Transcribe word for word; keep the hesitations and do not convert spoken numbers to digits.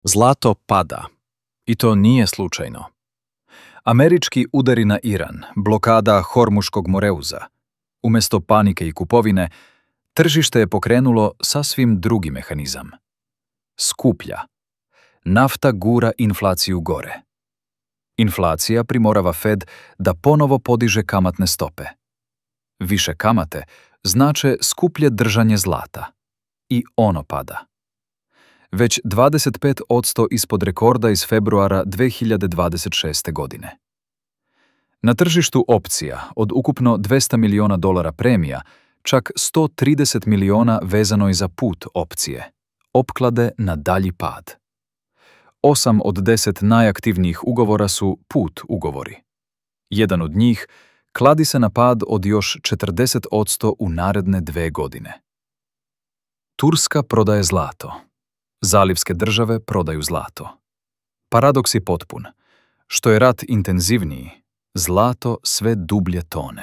Zlato pada. I to nije slučajno. Američki udari na Iran, blokada Hormuškog Moreuza. Umjesto panike i kupovine, tržište je pokrenulo sasvim drugi mehanizam. Skuplja. Nafta gura inflaciju gore. Inflacija primorava Fed da ponovo podiže kamatne stope. Više kamate znače skuplje držanje zlata. I ono pada. Već dvadeset pet posto ispod rekorda iz februara dve hiljade dvadeset šeste. godine. Na tržištu opcija od ukupno dvesta miliona dolara premija, čak sto trideset miliona vezano je za put opcije, opklade na dalji pad. Osam od deset najaktivnijih ugovora su put ugovori. Jedan od njih kladi se na pad od još četrdeset posto u naredne dve godine. Turska prodaje zlato. Zalivske države prodaju zlato. Paradoks je potpun. Što je rat intenzivniji, zlato sve dublje tone.